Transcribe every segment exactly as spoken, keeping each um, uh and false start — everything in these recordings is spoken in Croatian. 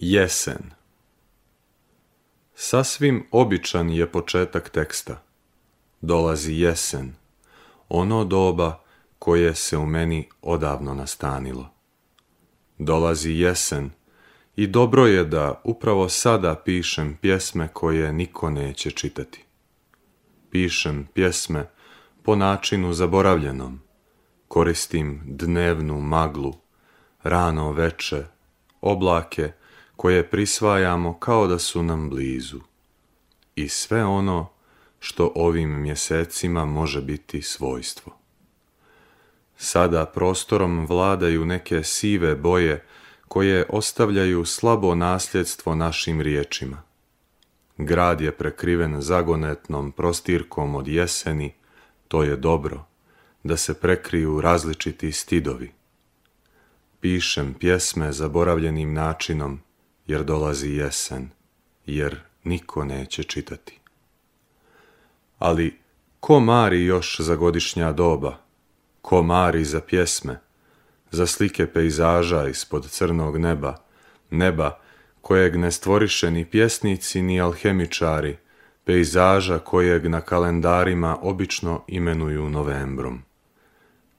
Jesen. Sasvim običan je početak teksta. Dolazi jesen, ono doba koje se u meni odavno nastanilo. Dolazi jesen i dobro je da upravo sada pišem pjesme koje niko neće čitati. Pišem pjesme po načinu zaboravljenom. Koristim dnevnu maglu, rano veče, oblake koje prisvajamo kao da su nam blizu. I sve ono što ovim mjesecima može biti svojstvo. Sada prostorom vladaju neke sive boje koje ostavljaju slabo nasljedstvo našim riječima. Grad je prekriven zagonetnom prostirkom od jeseni, to je dobro, da se prekriju različiti stidovi. Pišem pjesme zaboravljenim načinom, jer dolazi jesen, jer niko neće čitati. Ali ko mari još za godišnja doba? Ko mari za pjesme, za slike pejzaža ispod crnog neba, neba kojeg ne stvoriše ni pjesnici ni alhemičari, pejzaža kojeg na kalendarima obično imenuju novembrom.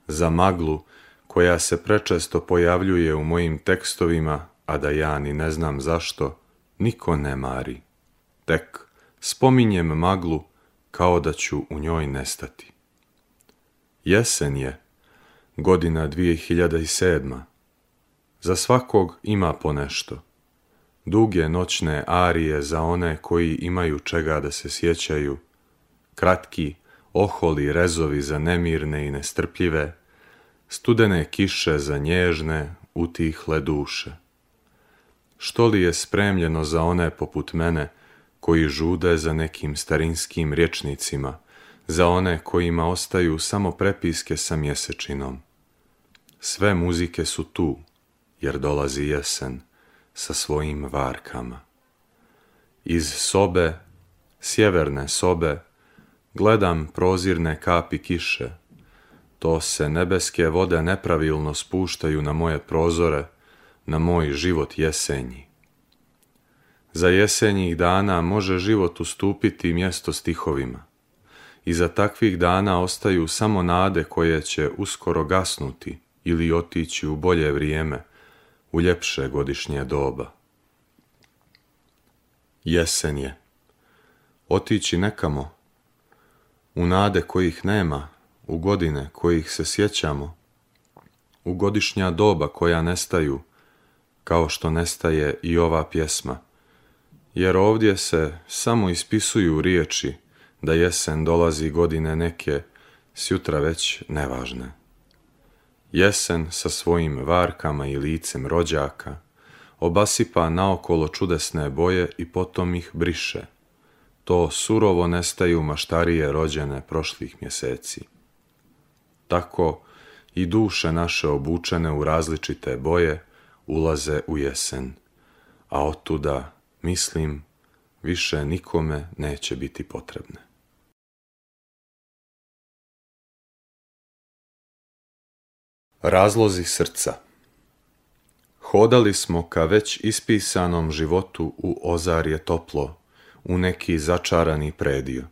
Za maglu koja se prečesto pojavljuje u mojim tekstovima, a da ja ni ne znam zašto, niko ne mari. Tek spominjem maglu kao da ću u njoj nestati. Jesen je, godina dvije hiljade sedma. Za svakog ima ponešto. Duge noćne arije za one koji imaju čega da se sjećaju, kratki, oholi rezovi za nemirne i nestrpljive, studene kiše za nježne, utihle duše. Što li je spremljeno za one poput mene koji žude za nekim starinskim rječnicima, za one kojima ostaju samo prepiske sa mjesečinom? Sve muzike su tu, jer dolazi jesen sa svojim varkama. Iz sobe, sjeverne sobe, gledam prozirne kapi kiše. To se nebeske vode nepravilno spuštaju na moje prozore, na moj život jesenji. Za jesenjih dana može život ustupiti mjesto stihovima. Iza takvih dana ostaju samo nade koje će uskoro gasnuti ili otići u bolje vrijeme, u ljepše godišnje doba. Jesen je. Otići nekamo, u nade kojih nema, u godine kojih se sjećamo, u godišnja doba koja nestaju, kao što nestaje i ova pjesma, jer ovdje se samo ispisuju riječi da jesen dolazi godine neke, sjutra već nevažne. Jesen sa svojim varkama i licem rođaka obasipa naokolo čudesne boje i potom ih briše. To surovo nestaju maštarije rođene prošlih mjeseci. Tako i duše naše obučene u različite boje ulaze u jesen, a otuda, mislim, više nikome neće biti potrebne. Razlozi srca. Hodali smo ka već ispisanom životu u ozarje toplo, u neki začarani predio.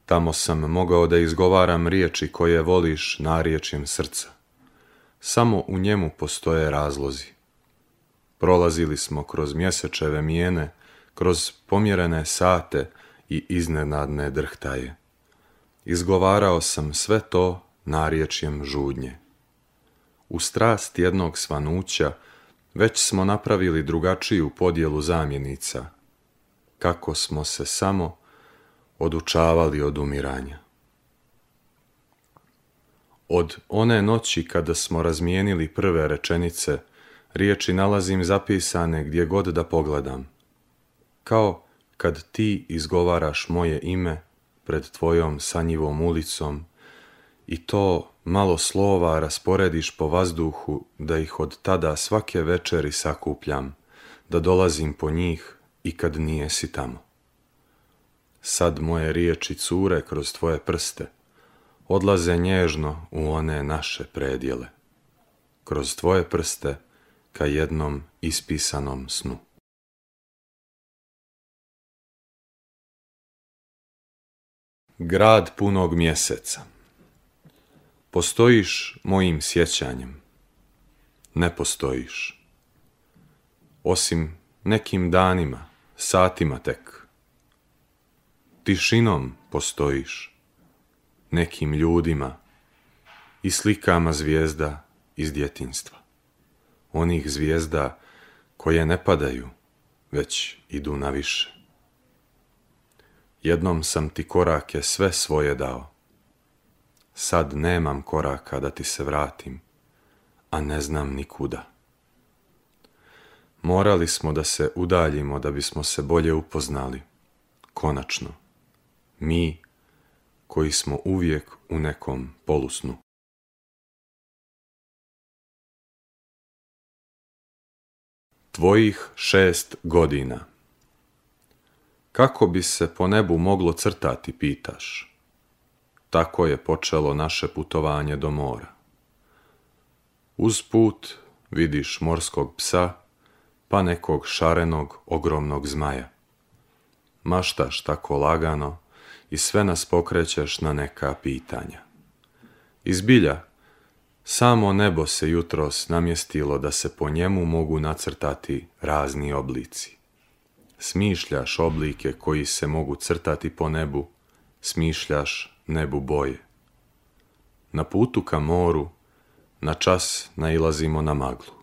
Tamo sam mogao da izgovaram riječi koje voliš narječjem srca. Samo u njemu postoje razlozi. Prolazili smo kroz mjesečeve mijene, kroz pomjerene sate i iznenadne drhtaje. Izgovarao sam sve to narječjem žudnje. U strast jednog svanuća već smo napravili drugačiju podjelu zamjenica, kako smo se samo odučavali od umiranja. Od one noći kada smo razmijenili prve rečenice, riječi nalazim zapisane gdje god da pogledam. Kao kad ti izgovaraš moje ime pred tvojom sanjivom ulicom i to malo slova rasporediš po vazduhu da ih od tada svake večeri sakupljam, da dolazim po njih i kad nijesi tamo. Sad moje riječi cure kroz tvoje prste, odlaze nježno u one naše predjele, kroz tvoje prste ka jednom ispisanom snu. Grad punog mjeseca. Postojiš mojim sjećanjem. Ne postojiš. Osim nekim danima, satima tek. Tišinom postojiš. Nekim ljudima i slikama zvijezda iz djetinjstva. Onih zvijezda koje ne padaju, već idu na više. Jednom sam ti korake sve svoje dao. Sad nemam koraka da ti se vratim, a ne znam nikuda. Morali smo da se udaljimo da bismo se bolje upoznali. Konačno, mi koji smo uvijek u nekom polusnu. Tvojih šest godina. Kako bi se po nebu moglo crtati, pitaš? Tako je počelo naše putovanje do mora. Uz put vidiš morskog psa, pa nekog šarenog, ogromnog zmaja. Maštaš tako lagano i sve nas pokrećeš na neka pitanja. I zbilja, samo nebo se jutros namjestilo da se po njemu mogu nacrtati razni oblici. Smišljaš oblike koji se mogu crtati po nebu, smišljaš nebu boje. Na putu ka moru, na čas nailazimo na maglu.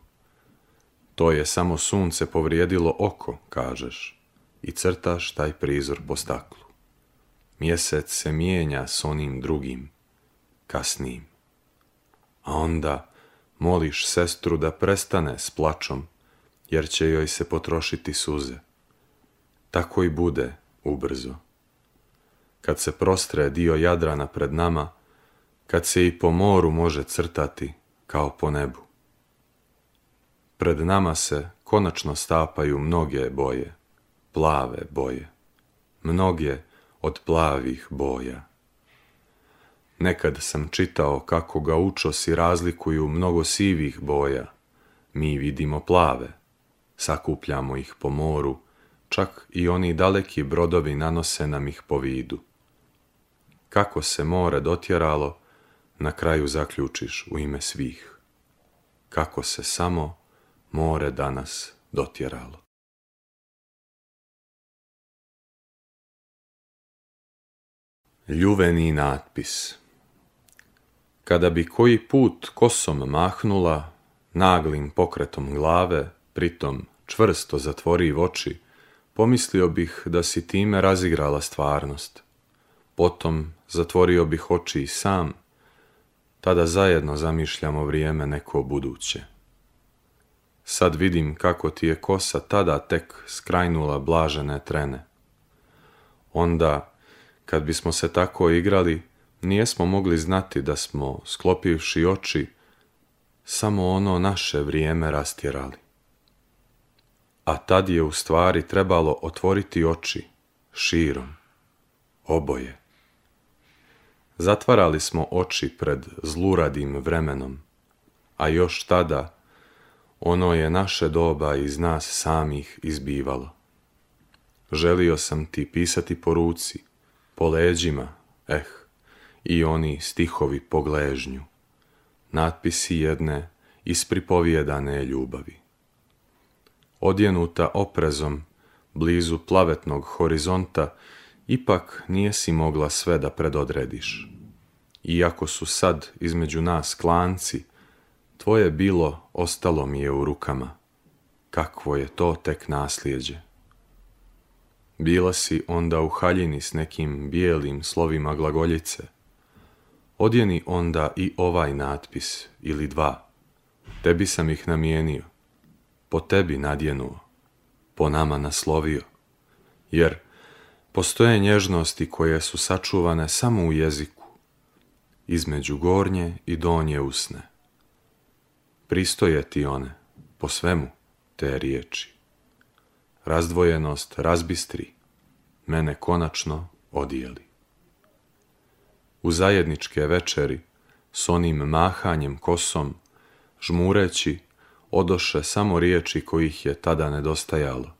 To je samo sunce povrijedilo oko, kažeš, i crtaš taj prizor po staklu. Mjesec se mijenja s onim drugim, kasnijim. A onda moliš sestru da prestane s plačom, jer će joj se potrošiti suze. Tako i bude ubrzo. Kad se prostre dio Jadrana pred nama, kad se i po moru može crtati kao po nebu. Pred nama se konačno stapaju mnoge boje, plave boje, mnoge od plavih boja. Nekad sam čitao kako ga učosi razlikuju mnogo sivih boja. Mi vidimo plave, sakupljamo ih po moru, čak i oni daleki brodovi nanose nam ih po vidu. Kako se more dotjeralo, na kraju zaključiš u ime svih. Kako se samo more danas dotjeralo. Ljuveni natpis. Kada bi koji put kosom mahnula, naglim pokretom glave, pritom čvrsto zatvoriv oči, pomislio bih da si time razigrala stvarnost. Potom zatvorio bih oči i sam, tada zajedno zamišljamo vrijeme neko buduće. Sad vidim kako ti je kosa tada tek skrajnula blažene trene. Onda, kad bismo se tako igrali, nijesmo mogli znati da smo, sklopivši oči, samo ono naše vrijeme rastjerali. A tad je u stvari trebalo otvoriti oči, širom, oboje. Zatvarali smo oči pred zluradim vremenom, a još tada ono je naše doba iz nas samih izbivalo. Želio sam ti pisati po ruci, po leđima, eh, i oni stihovi po gležnju, natpisi jedne ispripovjedane ljubavi. Odjenuta oprezom, blizu plavetnog horizonta, ipak nijesi mogla sve da predodrediš. Iako su sad između nas klanci, tvoje bilo ostalo mi je u rukama. Kakvo je to tek nasljeđe. Bila si onda u haljini s nekim bijelim slovima glagoljice. Odjeni onda i ovaj natpis ili dva. Tebi sam ih namijenio, po tebi nadjenuo, po nama naslovio, jer postoje nježnosti koje su sačuvane samo u jeziku, između gornje i donje usne. Pristoje ti one, po svemu, te riječi. Razdvojenost razbistri, mene konačno odijeli. U zajedničke večeri, s onim mahanjem kosom, žmureći, odoše samo riječi kojih je tada nedostajalo.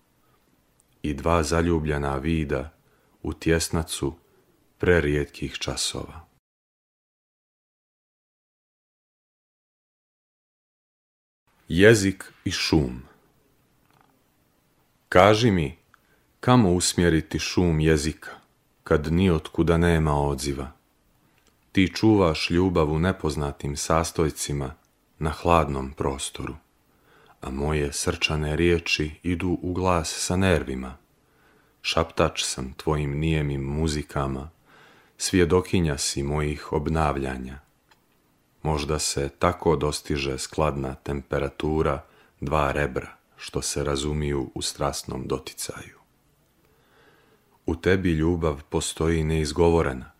I dva zaljubljena vida u tjesnacu prerijetkih časova. Jezik i šum. Kaži mi, kamo usmjeriti šum jezika, kad nijotkuda nema odziva? Ti čuvaš ljubav u nepoznatim sastojcima na hladnom prostoru, a moje srčane riječi idu u glas sa nervima. Šaptač sam tvojim nijemim muzikama, svjedokinja si mojih obnavljanja. Možda se tako dostiže skladna temperatura dva rebra što se razumiju u strasnom doticaju. U tebi ljubav postoji neizgovorena,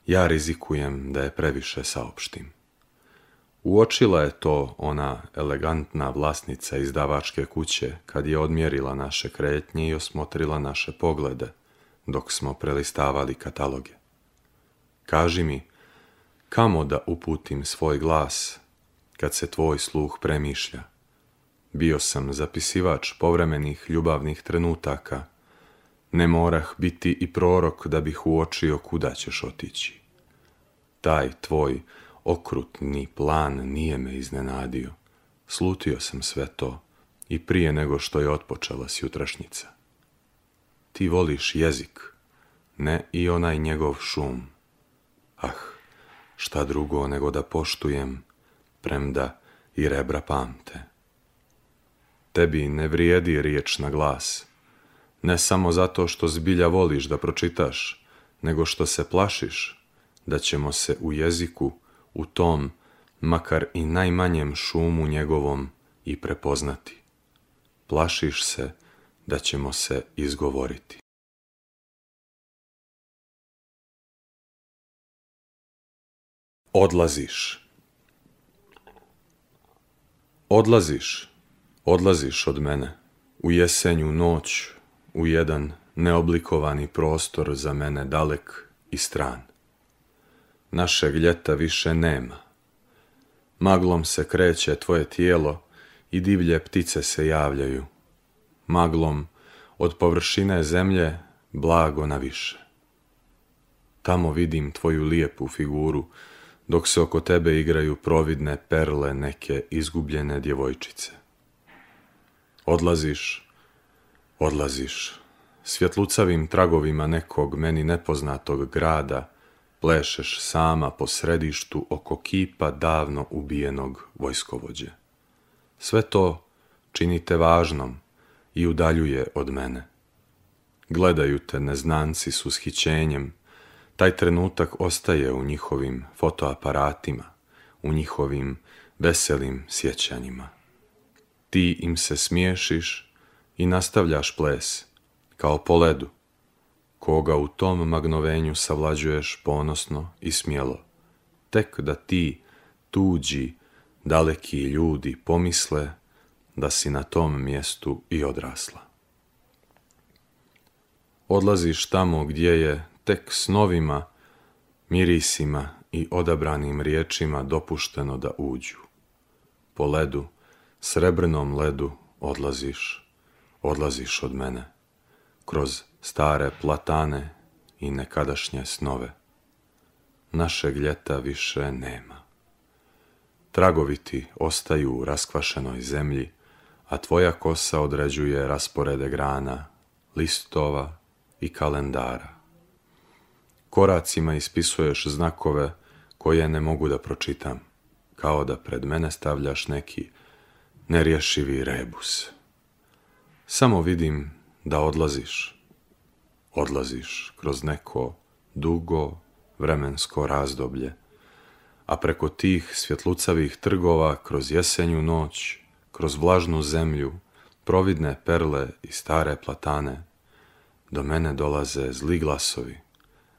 ja rizikujem da je previše saopštim. Uočila je to ona elegantna vlasnica izdavačke kuće kad je odmjerila naše kretnje i osmotrila naše poglede dok smo prelistavali kataloge. Kaži mi, kamo da uputim svoj glas kad se tvoj sluh premišlja? Bio sam zapisivač povremenih ljubavnih trenutaka, ne morah biti i prorok da bih uočio kuda ćeš otići. Taj tvoj okrutni plan nije me iznenadio. Slutio sam sve to i prije nego što je otpočela sjutrašnjica. Ti voliš jezik, ne i onaj njegov šum. Ah, šta drugo nego da poštujem, premda i rebra pamte. Tebi ne vrijedi riječ na glas, ne samo zato što zbilja voliš da pročitaš, nego što se plašiš da ćemo se u jeziku, u tom, makar i najmanjem šumu njegovom, i prepoznati. Plašiš se da ćemo se izgovoriti. Odlaziš. Odlaziš, odlaziš od mene, u jesenju noć, u jedan neoblikovani prostor za mene dalek i stran. Našeg ljeta više nema. Maglom se kreće tvoje tijelo i divlje ptice se javljaju. Maglom od površine zemlje blago na više. Tamo vidim tvoju lijepu figuru, dok se oko tebe igraju providne perle neke izgubljene djevojčice. Odlaziš, odlaziš, svjetlucavim tragovima nekog meni nepoznatog grada, plešeš sama po središtu oko kipa davno ubijenog vojskovođe. Sve to čini te važnom i udaljuje od mene. Gledaju te neznanci s ushićenjem, taj trenutak ostaje u njihovim fotoaparatima, u njihovim veselim sjećanjima. Ti im se smiješiš i nastavljaš ples, kao po ledu, koga u tom magnovenju savlađuješ ponosno i smjelo, tek da ti, tuđi, daleki ljudi pomisle da si na tom mjestu i odrasla. Odlaziš tamo gdje je tek snovima, mirisima i odabranim riječima dopušteno da uđu. Po ledu, srebrnom ledu odlaziš, odlaziš od mene, kroz stare platane i nekadašnje snove. Našeg ljeta više nema. Tragovi ti ostaju u raskvašenoj zemlji, a tvoja kosa određuje rasporede grana, listova i kalendara. Koracima ispisuješ znakove koje ne mogu da pročitam, kao da pred mene stavljaš neki nerješivi rebus. Samo vidim da odlaziš, odlaziš kroz neko dugo vremensko razdoblje, a preko tih svjetlucavih trgova, kroz jesenju noć, kroz vlažnu zemlju, providne perle i stare platane, do mene dolaze zli glasovi,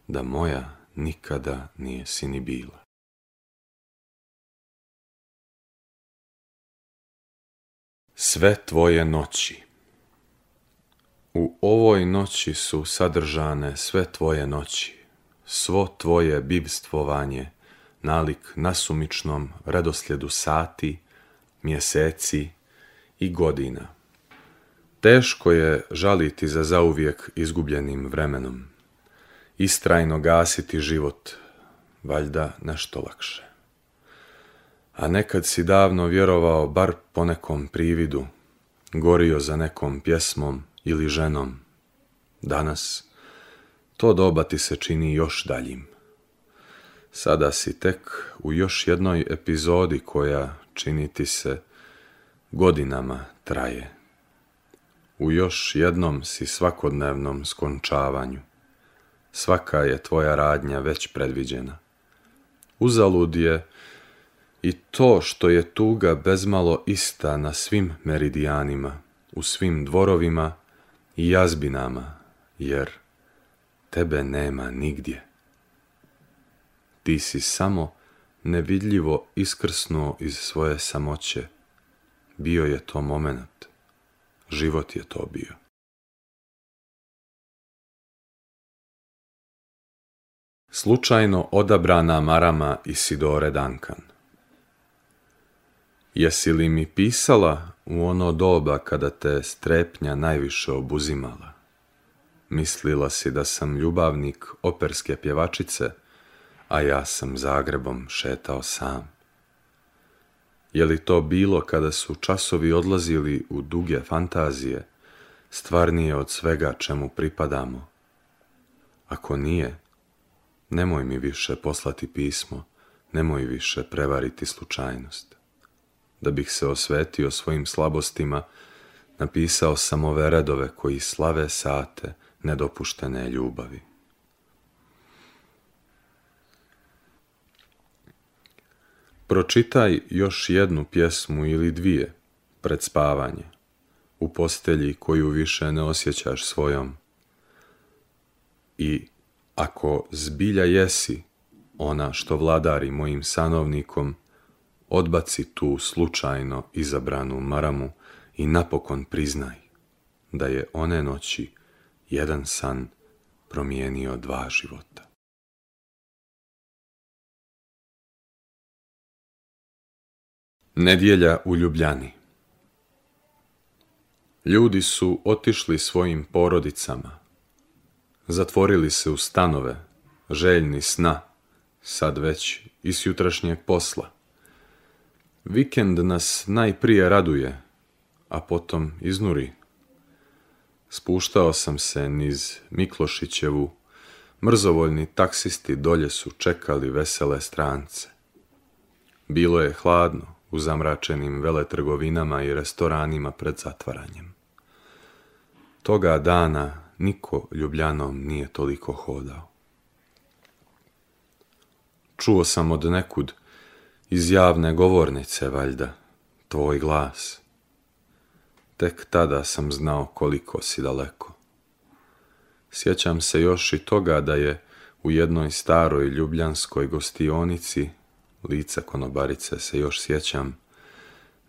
da moja nikada nije si ni bila. Sve tvoje noći. U ovoj noći su sadržane sve tvoje noći, svo tvoje bivstvovanje, nalik nasumičnom redoslijedu sati, mjeseci i godina. Teško je žaliti za zauvijek izgubljenim vremenom. istrajno gasiti život, valjda nešto lakše. A nekad si davno vjerovao bar po nekom prividu, gorio za nekom pjesmom ili ženom. Danas to doba ti se čini još daljim. Sada si tek u još jednoj epizodi koja, čini ti se, godinama traje. U još jednom si svakodnevnom skončavanju. Svaka je tvoja radnja već predviđena. Uzalud je i to što je tuga bezmalo ista na svim meridijanima, u svim dvorovima i jazbinama, jer tebe nema nigdje. Ti si samo nevidljivo iskrsnuo iz svoje samoće. Bio je to moment. Život je to bio. Slučajno odabrana marama Isidore Duncan. Jesi li mi pisala u ono doba kada te strepnja najviše obuzimala? Mislila si da sam ljubavnik operske pjevačice, a ja sam Zagrebom šetao sam. Je li to bilo kada su časovi odlazili u duge fantazije, stvarnije od svega čemu pripadamo? Ako nije, nemoj mi više poslati pismo, nemoj više prevariti slučajnost. Da bih se osvetio svojim slabostima, napisao sam ove redove koji slave sate nedopuštene ljubavi. Pročitaj još jednu pjesmu ili dvije pred spavanje, u postelji koju više ne osjećaš svojom. I ako zbilja jesi ona što vladari mojim sanovnikom, odbaci tu slučajno izabranu maramu i napokon priznaj da je one noći jedan san promijenio dva života. Nedjelja u Ljubljani. Ljudi su otišli svojim porodicama, zatvorili se u stanove, željni sna, sad već i s jutrašnjeg posla. Vikend nas najprije raduje, a potom iznuri. Spuštao sam se niz Miklošićevu, mrzovoljni taksisti dolje su čekali vesele strance. Bilo je hladno u zamračenim veletrgovinama i restoranima pred zatvaranjem. Toga dana niko Ljubljanom nije toliko hodao. Čuo sam od nekud, iz javne govornice valjda, tvoj glas. Tek tada sam znao koliko si daleko. Sjećam se još i toga da je u jednoj staroj ljubljanskoj gostionici, lica konobarice se još sjećam,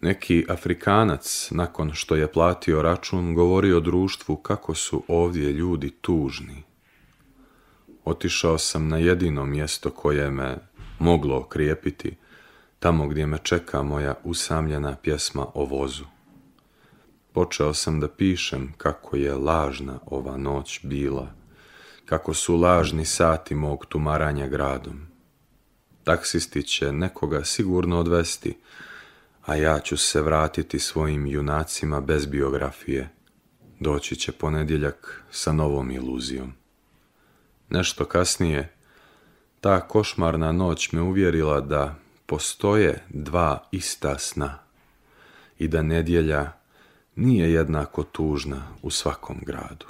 neki Afrikanac, nakon što je platio račun, govorio društvu kako su ovdje ljudi tužni. Otišao sam na jedino mjesto koje me moglo okrijepiti, tamo gdje me čeka moja usamljena pjesma o vozu. Počeo sam da pišem kako je lažna ova noć bila, kako su lažni sati mog tumaranja gradom. Taksisti će nekoga sigurno odvesti, a ja ću se vratiti svojim junacima bez biografije. Doći će ponedjeljak sa novom iluzijom. Nešto kasnije, ta košmarna noć me uvjerila da postoje dva ista sna i da nedjelja nije jednako tužna u svakom gradu.